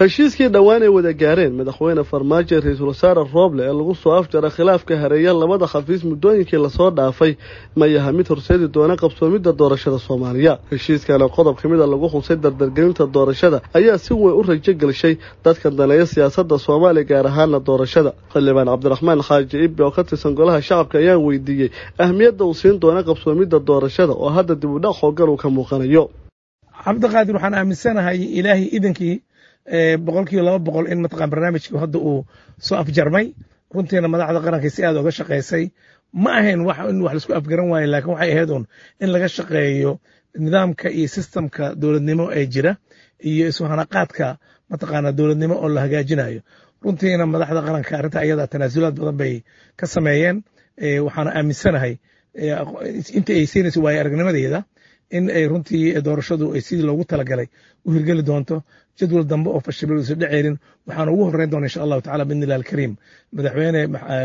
Heshiiskii dhowaan ay wada gaareen madaxweyne Farmaajo iyo ra-iisul wasaare Rooble ee lagu soo afjara khilaafka hareeya labada xafiis muddooyinkii lasoo dhaafay ma yaha mid horseedi doona qabsoomidda doorashada Soomaaliya. Heshiiskana qodob ka mid a lagu xusay dardargelinta doorashada ayaa si weyn u rajo gelshay dadka daneeya siyaasadda Soomaaliya, gaar ahaana doorashada. Xildhibaan Cabdiraxmaan Xaaji Ibbi oo ka tirsan golaha shacabka ayaa weydiiyey ahmiyadda uu siin doona qabsoomidda doorashada oo hadda dib u dhac xooggan uu ka muuqanayo. Cabdiqaadir, waxaan aaminsanahay Ilaahay idankii 200% in mataqaan barnaamijkii hadda uu soo afjarmay. Runtiina madaxda qaranka si aad uga shaqaysay. Ma ahayn wax in wax laisku afgaran waayo, laakiin waxay ahayd un in laga shaqeeyo nidaamka iyo systemka dowladnimo ee jira iyo isu hanaqaadka mataqaana dowladnimo oo la hagaajinayo. Runtiina madaxda qaranka arrinta ayada tanaasulaad badan bay ka sameeyeen. Waxaana aaminsanahay inta ay siinayso waayo aragnimadeeda in ay runtii doorashadu ay sidii loogu talagalay u hirgeli doonto, jadwal dambe oo fashilay uusan dhaceynin. Waxaana ugu horreyn doona, insha Allahu tacala, biidni illahi alkariim, madaxweyne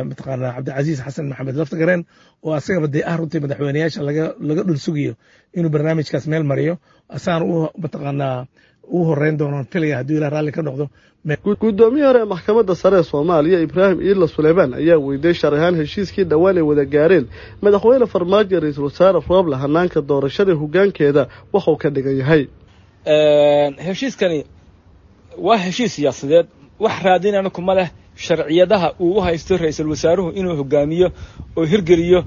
mataqaana Cabdicasiis Xasan Maxamed Laftagareen, oo asagaba dee ah runtii madaxweyneyaasha laga dhul sugayo inuu barnaamijkaas meel mariyo. Asaana u mataqaanaa ugu horreyn doonoon filaya, hadduu Ilah raalli ka noqdo. Guddoomiye hore ee maxkamadda sare ee Soomaaliya Ibraahim Iidla Suleymaan ayaa weydiiyey shar ahaan heshiiskii dhowaan ay wada gaareen madaxweyne Farmaajo, ra-iisul wasaare Rooble, hanaanka doorashada hoggaankeeda waxuu ka dhigan yahay. Heshiiskani waa heshiis siyaasadeed, wax raadinana kuma leh sharciyadaha uu u haysto ra-iisul wasaaruhu inuu hogaamiyo oo hirgeliyo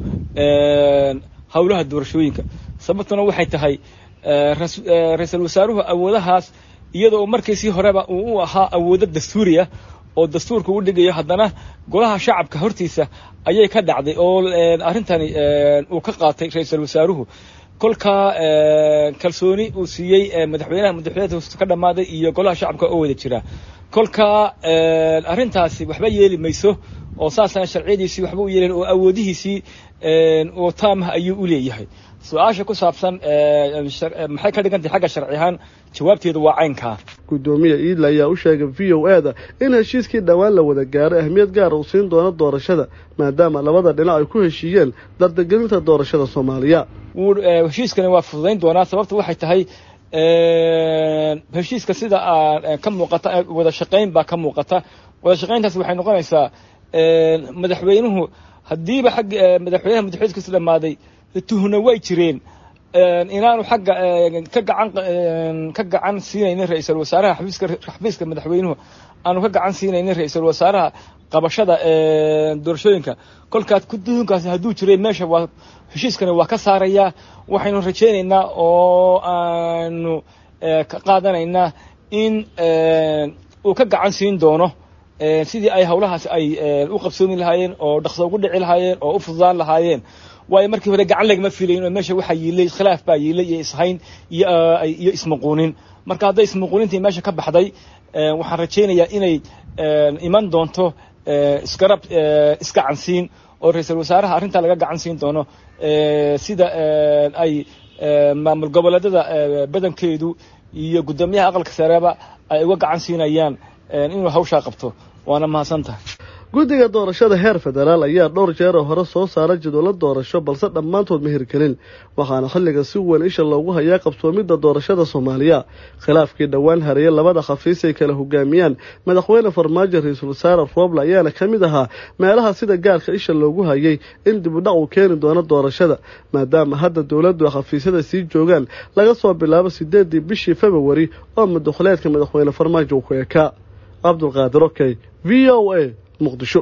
howlaha doorashooyinka. Sababtuna waxay tahay ra-iisul wasaaruhu awoodahaas, iyadoo markiisii horeba uu u ahaa awoodo dastuuriya oo dastuurka u dhigayo, haddana golaha shacabka hortiisa ayay ka dhacday oo arrintani uu ka qaatay ra-iisul wasaaruhu kolkaa kalsooni uu siiyey madaxweynaha madaxweynaha ka dhammaaday iyo golaha shacabka oo wada jira. Kolkaa arrintaasi waxba yeeli mayso oo saasaan sharciyadiisii waxba u yeelin oo awoodihiisii oo taamah ayuu u leeyahay. Su-aasha ku saabsan maxay ka dhigan tahay xagga sharci ahaan, jawaabteedu waa caynkaa. Guddoomiye Iidle ayaa u sheegay VOA da in heshiiskii dhowaan la wada gaaray ahmiyad gaara uu siin doono doorashada, maadaama labada dhinac ay ku heshiiyeen dardargelinta doorashada Soomaaliya. Wuu heshiiskani waa fududayn doonaa. Sababta waxay tahay heshiiska sida ka muuqata wada shaqayn baa ka muuqata. Wada shaqayntaas waxay noqonaysaa madaxweynuhu haddiiba xagga madaxweynaha madaxweyskiisu dhammaaday tuhna way jireen inaanu xagga ka gacan siinaynin ra-iisul wasaaraha xafiiska madaxweynuhu aanu ka gacan siinaynin ra-iisul wasaaraha qabashada doorashooyinka. Kolkaas tuhunkaasi hadduu jiray meesha waa heshiiskani waa ka saarayaa. Waxaynu rajaynaynaa oo aanu ka qaadanaynaa in uu ka gacan siin doono sidii ay howlahaasi ay u qabsoomi lahaayeen oo dhaqso ugu dhici lahaayeen oo u fududaan lahaayeen, waayo markii hore gacan lagama filayn oo meesha waxaa yiilay khilaaf baa yiilay iyo ishayn iyo ismuquunin. Marka hadday ismuquunintii meesha ka baxday, waxaan rajaynayaa inay iman doonto isgarab, isgacansiin oo ra-iisul wasaaraha arrintaa laga gacan siin doono, sida ay maamul goboleedyada badankeedu iyo guddoomiyaha aqalka sareba ay uga gacan siinayaan inuu hawshaa qabto. Waana mahadsan tahay. Guddiga doorashada heer federaal ayaa dhowr jeer oo hore soo saara jadwallo doorasho, balse dhammaantood ma hirgelin. Waxaana xilliga si weyn isha loogu hayaa qabsoomidda doorashada Soomaaliya. Khilaafkii dhowaan hareeye labada xafiis ay kala hogaamiyaan madaxweyne Farmaajo, ra-iisul wasaare Rooble ayaana ka mid ahaa meelaha sida gaarka isha loogu hayay in dib u dhac uu keeni doono doorashada, maadaama hadda dowladdu xafiisyada sii joogaan laga soo bilaabo 8-dii bishii Februari oo madaxuleedka madaxweyne Farmaajo uu ku ekaa. Cabdulqaadir Okey, VOA, Muqdisho.